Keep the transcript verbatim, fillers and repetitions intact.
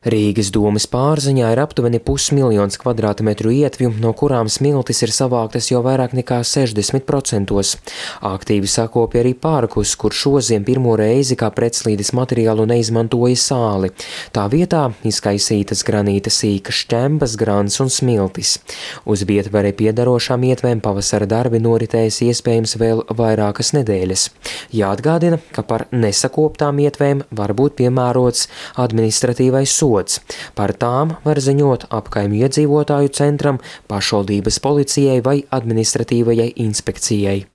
Rīgas domes pārziņā ir aptuveni pusmiljons kvadrātmetru ietvju, no kurām smiltis ir savāktas jau vairāk nekā sešdesmit procentos. Aktīvi sakopja arī parkus, kur šoziem pirmo reizi kā pretslīdes materiālu neizmantoja sāli. Tā vietā izkaisītas granīta sīkas šķembas, grants un smiltis. Uz Vietvarei piedarošām ietvēm pavasara darbi noritēs iespējams vēl vairākas nedēļas. Jāatgādina, ka par nesakoptām ietvēm var būt piemērots administratīvais sods. Par tām var ziņot apkaimju iedzīvotāju centram, pašvaldības policijai vai administratīvajai inspekcijai.